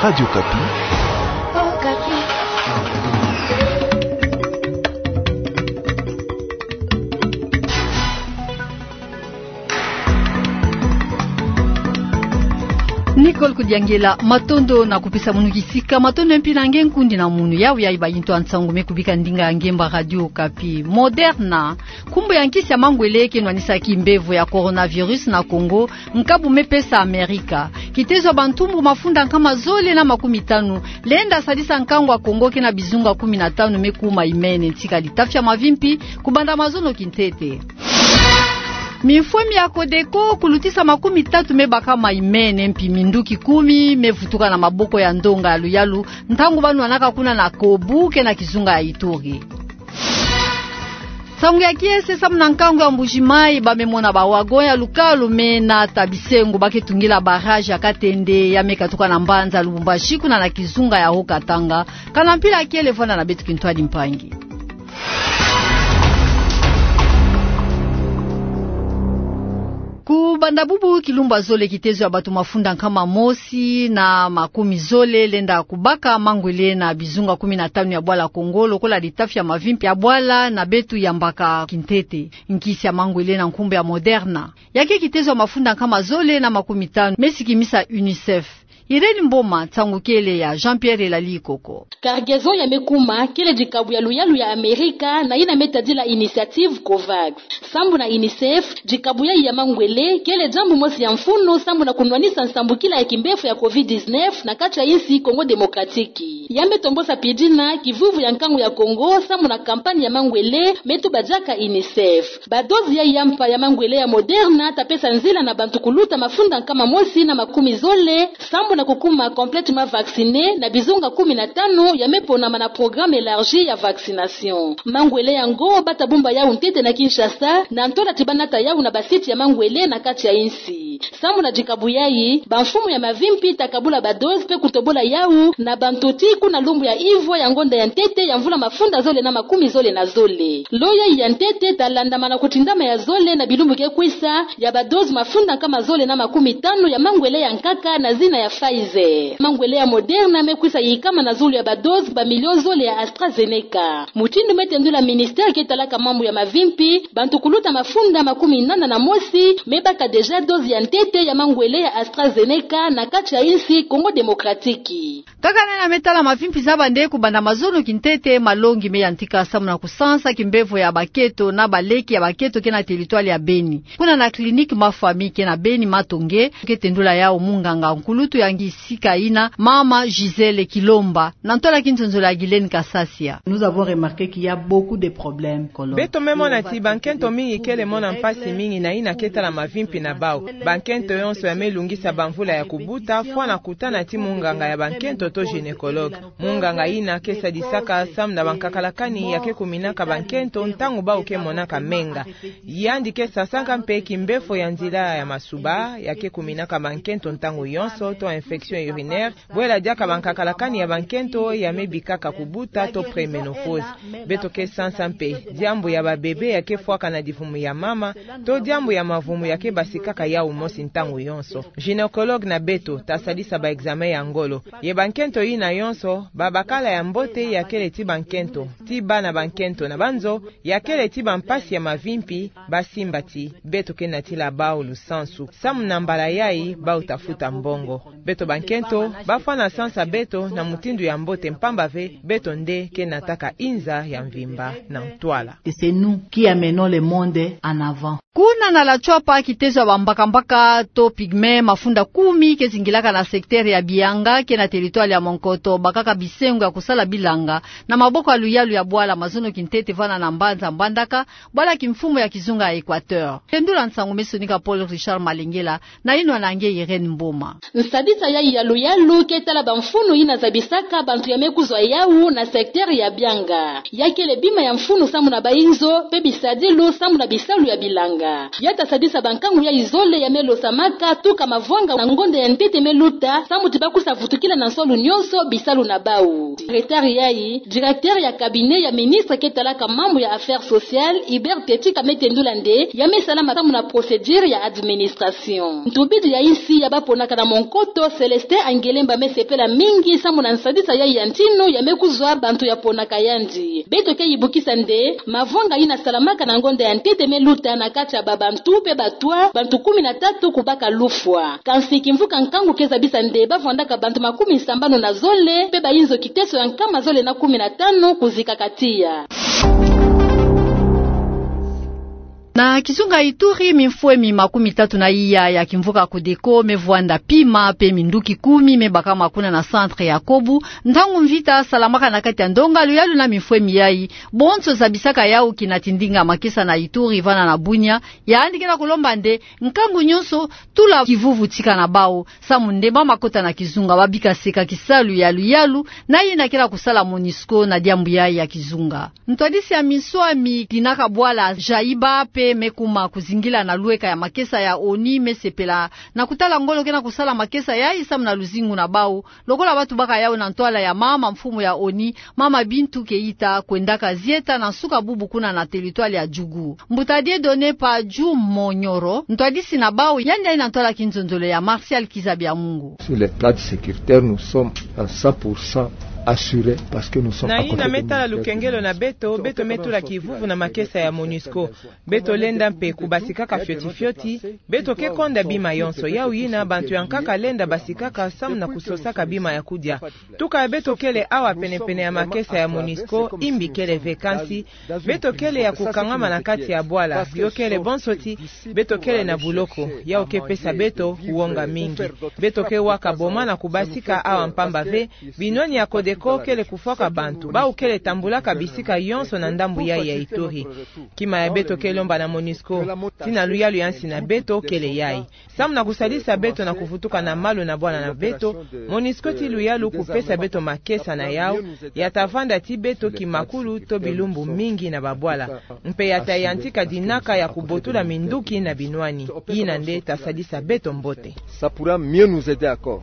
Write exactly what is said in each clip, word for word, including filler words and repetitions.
Radio Okapi. Nicole Kudiangela, matondo na kupesa munu kisika, matondo mpi na nge nkundi na munu. Yawu yayi ba yintu ya nsangu me kubika ndinga ya ngemba Radio Okapi. Moderna, nkumbu ya nkisi ya mangwele ke nwanisa kimbevo ya coronavirus na Kongo, nkabu me pesa Amerika. Kitezo ya bantumbu mafunda nkama zole na makumi tanu lenda sadisa nkangu ya Kongo ke na bizunga kumi na tanu me kuma imene. Ntika litafi ya mavimpi kubanda mazono kintete. Mifwemi ya Codeco kulutisa makumi tatu me bakama imene, mpi minduki kumi me vutuka na maboko ya ndonga ya luyalu ntangu ba nwanaka kuna na Kobu ke na kizunga ya Ituri. Nsangu ya kiese, samu na nkangu ya Mbuji-Mayi, ba me mona ba wagon ya lukalu me nata bisengo ba ke tungila barrage ya Katende, ya me katuka na mbanza Lubumbashi kuna na kizunga ya Haut-Katanga. Kana mpila kele, vwanda na beto kintwadi mpangi. Kubanda bubu kilumbu ya zole, kitezo ya bato mafunda nkama mosi na makumi zole lenda kubaka mangwele na bizunga kumi na tanu ya bwala Kongo, lokola litafi ya mavimpi ya bwala na beto yambaka kintete. Nkisi ya mangwele na nkumbu ya Moderna, ya ke kitezo ya mafunda nkama zole na makumi tanu me sikimisa UNICEF. Irène Mboma, nsangu kele ya Jean-Pierre Elali Koko. Cargaison ya me kuma kele dikabu ya luyalu ya Amerika na yina me tadila initiative COVAX. Sambu na UNICEF, dikabu yayi ya mangwele kele diambu mosi ya mfunu sambu na kunwanisa nsambukila ya kimbefo ya covid dix-neuf na kati ya insi Congo Démocratique. Ya me tombosa pi dina kivuivu ya nkangu ya Kongo sambu na campagne ya mangwele me tuba diaka UNICEF. Ba dose yayi ya mpa ya mangwele ya Moderna ta pesa nzila na bantu kuluta mafunda nkama mosi na makumi zole sambu na kukuma complètement vaccinés na bizunga kumi na tanu ya me ponama na programme élargi ya vaccination. Mangwele yango ba ta bumba yawu ntete na Kinshasa, na ntola ti ba nata yawu na ba site ya mangwele na kati ya insi. Sambu na dikabu yayi, bamfumu ya mavimpi ta kabula ba dose pe kutobola yawu na bantu ti kuna lumbu ya ivo ya ngonda ya ntete ya mvula mafunda zole na makumi zole na zole. Lo yayi ya ntete ta landamana kutindama ya zole na bilumbu ke kwisa ya ba dose mafunda nkama zole na makumi tanu ya mangwele ya nkaka na zina ya Pfizer. Mangwele ya Moderna me kwisa yikama na zulu ya ba dose ba million zole ya AstraZeneca. Mutindu me tendula ministère ke talaka mambu ya mavimpi, bantu kuluta mafunda makumi nana na mosi me baka déjà dose ya ntete ya mangwele ya AstraZeneca na kati ya insi Congo Démocratique. Kaka na yina me tala mavimpi za bande, kubanda mazono kintete, malongi me yantika samu na kusansa kimbevo ya bakento na baleki ya bakento ke na territoire ya Beni. Kuna na clinique Ma Famille ke na Beni Matonge, ke tendula yawu munganga nkulutu ya ngisika yina, mama Gisèle Kilomba, na ntola kinzonzolo ya Guylaine Kasasia. Nous avons remarqué qu'il y a beaucoup de problèmes, colon. Beto me mona ti bankento mingi kele mona mpasi mingi na yina ke tala mavimpi na bawu. Bankento yonso ya me lungisa bamvula ya kubuta fwana kutana ti munganga ya bankento to gynécologue. Munganga yina ke sadisaka samu na bankakalakani ya ke kuminaka bankento ntangu bawu ke monaka menga. Yandi ke sansaka mpe kimbefo ya nzila ya masuba ya ke kuminaka bankento ntangu yonso to infection urinaire, bwela diaka bankakalakani ya bankento ya me bikaka kubuta to préménopause. Beto ke sansa mpe diambu ya babebe ya ke fwaka na divumu ya mama, to diambu ya mavumu ya ke basikaka yawu mosi ntangu yonso. Gynécologue na beto ta sadisa ba examen ya ngolo. Ye bankento yina yonso, babakala ya mbote ya kele ti bankento, ti bana bankento na banzo, ya kele ti bampasi ya mavimpi, ba simba ti beto ke natila bawu lusansu. Samu na mbala yayi, bawu ta futa mbongo. Beto bankento, ba fwana sansa beto na mutindu ya mbote mpamba ve, beto nde ke nataka inza ya mvimba na ntwala. Et c'est nous qui amenons le monde en avant. Kuna na la Tshuapa, kitezo ya bambakambaka to pygmée mafunda kumi ke zingilaka na secteur ya Bianga ke na territoire ya Monkoto bakaka bisengo ya kusala bilanga na maboko ya luyalu ya bwala mazono kintete vana na mbanza Mbandaka, bwala kimfumu ya kizunga ya Équateur. Tendula nsangu me sonika Paul Richard Malengela, na yinwa na nge Irène Mboma. Nsadisa yayi ya luyalu ke tala bamfunu yina zabisaka bantu ya me kuzwa yawu na secteur ya Bianga. Ya kele bima ya mfunu samu na bayinzo, pe bisadilu samu na bisalu ya bilanga. Ya ta sadisa bankangu yayi zole ya me Losamaka tuka mavwanga na ngonda ya ntete me luta, samu ti bako sa vutukila na nsolo nyonso bisalu na bau. Secrétaire yayi, directeur ya cabinet ya ministre ke talaka mambu ya affaires sociales, Hubert Tetika me tendula nde, ya me salama samu na procédure ya administration. Ntubidi ya insi ya baponaka na monkoto, Célestin Angelemba me sepela mingi samu na nsadisa yayi ya ntinu ya me kuzwa bantu ya ponaka yandi. Beto ke yibukisa nde, mavwanga yina salamaka na ngonda ya ntete me luta na kati ya babantu pe batwa, bantu kumi na tatu kubaka lufwa. Kansi kimvuka nkangu ke zabisa nde bavwandaka bantu makumi sambanu na zole, pe bayinzo kiteso ya nkama zole na kumi na tanu kuzikaka tiya. Na kizunga Ituri, mimfwemi makumi tatu na iya ya kimvuka Codeco me vwanda pima, pe minduki kumi me bakama kuna na centre ya Kobu, ntangu mvita salamaka na kati ya ndonga luyalu na mimfwemi yayi, bonso zabisaka yau kina tindinga makesa na Ituri vana na Bunia, yandi ke na kulomba nde, nkangu nyonso, tula kivuvu tika na bau, samu nde ba makota na kizunga, babika seka kisalu ya luyalu, na yina ke na kusala MONUSCO na diambu yayi ya kizunga. Ntwadisi ya minswami Dinaka Bwala Jaiba pe me kuma kuzingila na lweka ya makesa ya ONI me sepela na kutala ngolo ke na kusala makesa yayi samu na luzingu na bau, lokola batu baka yau na ntwala ya mama mfumu ya ONI, mama Bintou Keita, kwendaka zieta na nsuka bubu kuna na territoire ya Djougou. Mbuta Dieudonné Padju Monyoro, ntwadisi na bau, yandi ayi na ntwala kinzonzolo ya Martial Kizabiamungu. Sur le plan sécuritaire, nous sommes à cent pour cent assurés parce que nous sommes à côté de militaires. Na yina me tala lukengelo na beto, beto me tula kivuvu na makesa ya MONUSCO. Beto lenda mpe kubasikaka fioti fioti, beto ke konda bima yonso. Yau yina bantu ya nkaka lenda basikaka samu na kusosaka bima ya kudia. Tuka beto kele awa penepene ya makesa ya MONUSCO, imbi kele ve, kansi beto kele ya kukangama na kati ya bwala, yo kele bonso ti beto kele na buloko, yau ke pesa beto wonga mingi. Beto ke waka boma na kubasika awa mpamba ve, binwani ya Codeco kele kufwaka bantu, bau kele tambulaka bisika yonso na ndambu yayi ya Ituri. Kima ya beto ke lomba na MONUSCO, ti na luyalu ya nsi na beto kele yayi. Samu na kusalisa beto na kuvutuka na malu na bwala na beto, MONUSCO ti luyalu kupesa beto makesa na yau, ya ta vanda ti beto kimakulu to bilumbu mingi na babwala. Mpe ya ta yantika dinaka ya kubotula minduki na binwani. Yina nde ta salisa beto mbote. Ça pourra mieux nous aider encore.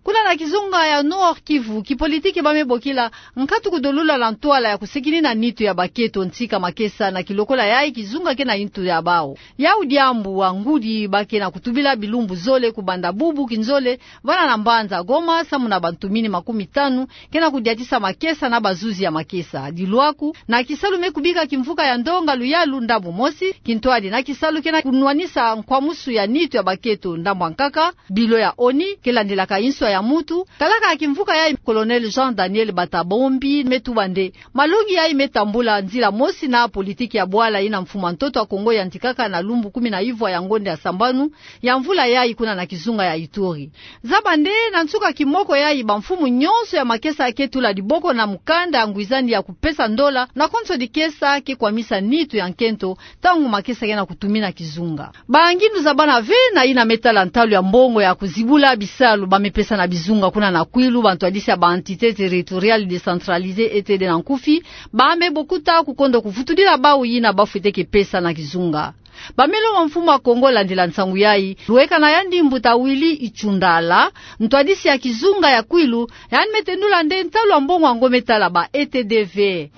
Kuna na kizunga ya Nord-Kivu, kipolitiki ba me bokila nkatu kudolula na ntwala ya kusekinina nitu ya bakento ntika makesa na kilokola yayi kizunga ke na yintu ya bau. Yau diambu wa ngudi ba ke na kutubila bilumbu zole kubanda bubu kinzole, vana na mbanza Goma, samu na bantu mini makumi tanu ke na kudiatisa makesa na bazuzi ya makesa. Dilwaku, na kisalu me kubika kimvuka ya ndonga luyalu ndambu mosi, kintwadi na kisalu ke na kunwanisa nkwamusu ya nitu ya bakento ndambu ya nkaka, bilo ya ONI ke landilaka inswa ya mutu. Kalaka ya kimvuka yayi, Colonel Jean Daniel Batabombi me tuba nde malongi yayi me tambula nzila mosi na politiki ya bwala yina mfumu ya ntoto ya Kongo yantikaka na lumbu kumi na ivwa ya ngonda ya sambanu ya mvula yayi kuna na kizunga ya Ituri. Zaba nde na nsuka kimoko yayi bamfumu nyonso ya makesa ke tula diboko na mukanda ya ngwizani ya kupesa ndola na konso dikesa ke kwamisa nitu ya nkento, ntangu makesa ke na kutumina kizunga. Ba ngindu zabana ve na yina me tala ntalu ya mbongo ya kuzibula bisalu ba me pesa na bizunga kuna na Kwilu, bantwadisi ya ba entités territoriales décentralisées, E T D na nkufi, ba me bokuta kukondo kuvutudila bau yina ba fwete ke pesa na kizunga. Ba me lomba mfumu ya Kongo landila nsangu yayi, lweka na yandi mbuta Willy Itshundala, ntwadisi ya kizunga ya Kwilu, yandi me tendula nde ntalu ya mbongo yango me tala ba E T D ve.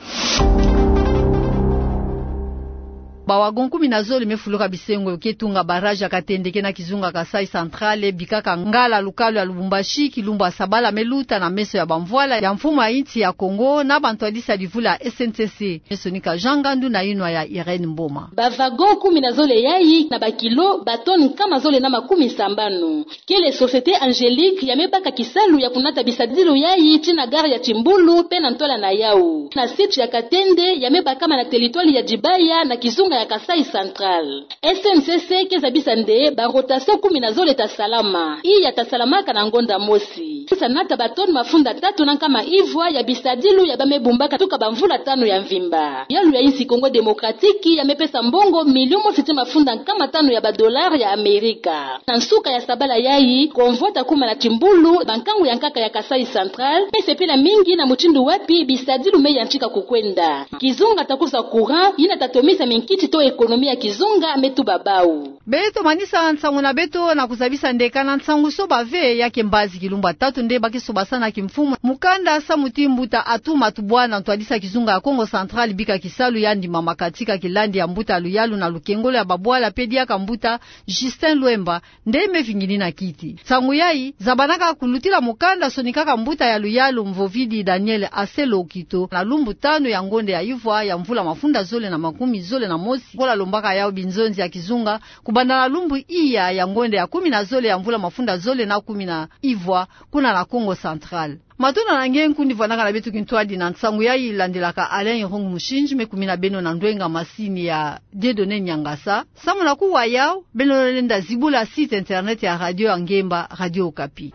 Ba wagon kumi na zole me fuluka bisengo ke tunga barrage ya Katende ke na kizunga Kasaï Central, bikaka ngala lukalu ya Lubumbashi, kilumbu ya sabala me luta na meso ya bamvwala ya mfumu ya insi ya Kongo na bantwadisi ya livula S N C C. Me sonika Jean Ngandu na yinwa ya Irène Mboma. Ba wagon kumi na zole yayi na ba kilo, ba tonnes nkama zole na makumi sambanu. Kele Société Angélique ya me baka kisalu ya kunata bisadilu yayi tii na gare ya Timbulu pe na ntwala na yau. Na site ya Katende ya me bakama na territoire ya Dibaya na kizunga ya Kasaï Central. S N C C ke zabisa nde ba rotation kumi na zole ta salama. Iya ta salamaka na ngonda mosi. Sa nata ba tonnes mafunda tatu na nkama ivwa ya bisadilu ya ba me bumbaka tuka bamvula tanu ya mvimba. Yalu ya insi Congo Démocratique ya me pesa mbongo million mosi tii mafunda nkama tanu ya ba dollars ya Amerika. Na nsuka ya sabala yayi, convoi ta kuma na Timbulu, bankangu ya nkaka ya Kasaï Central me sepela mingi na mutindu wapi bisadilu me yantika kukwenda. Kizunga ta kwiza courant, yina ta tomisa minkiti to économie ya kizunga, me tuba bau. Beto manisa nsangu na beto na kuzabisa nde kana nsangu soba ve ya ke mbazi kilumbu ya tatu nde ba ke sobasana kimfumu mukanda samu ti mbuta Atou Matubuana, ntwadisa kizunga ya Kongo Central, bika kisalu ya ndimama katika kilandi ya mbuta ya luyalu na lukengolo ya babwala pe diaka mbuta Justin Luemba, nde me vinginina kiti. Nsangu yayi zabanaka kulutila mukanda sonikaka mbuta ya luyalu Mvovidi Daniel Aselo Okito na lumbu tanu ya ngonde ya ivwa ya mvula mafunda zole na makumi zole na mosi, kola lombaka yau binzonzi ya kizunga kubanda na lumbu iya ya ngonde ya kumi na zole ya mvula mafunda zole na kumi na ivwa, kuna na Kongo Central. Matondo na nge nkundi vwanaka na beto kintwadi na nsangu yayi, landilaka Alain Irung Mushindji, me kumina beno na ndwenga masini ya Dieudonné Niangasa. Samu na kuwa yau, beno lenda zibula site internet ya radio ya ngemba, Radio Okapi.